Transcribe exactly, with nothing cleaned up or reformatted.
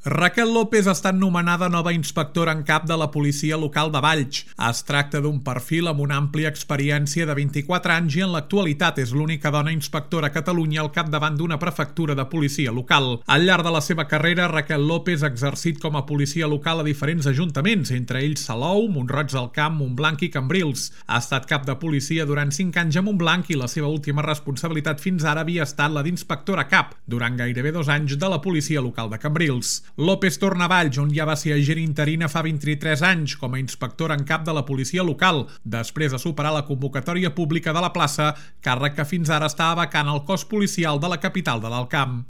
Raquel López ha estat nomenada nova inspectora en cap de la policia local de Valls. Es tracta d'un perfil amb una àmplia experiència de vint-i-quatre anys i en l'actualitat és l'única dona inspectora a Catalunya al capdavant d'una prefectura de policia local. Al llarg de la seva carrera, Raquel López ha exercit com a policia local a diferents ajuntaments, entre ells Salou, Mont-roig del Camp, Montblanc i Cambrils. Ha estat cap de policia durant cinc anys a Montblanc i la seva última responsabilitat fins ara havia estat la d'inspectora cap, durant gairebé dos anys de la policia local de Cambrils. López torna a Valls, on ja va ser agent interina fa vint-i-tres anys com a inspectora en cap de la policia local, després de superar la convocatòria pública de la plaça, càrrec que fins ara estava vacant al cos policial de la capital de l'Alt Camp.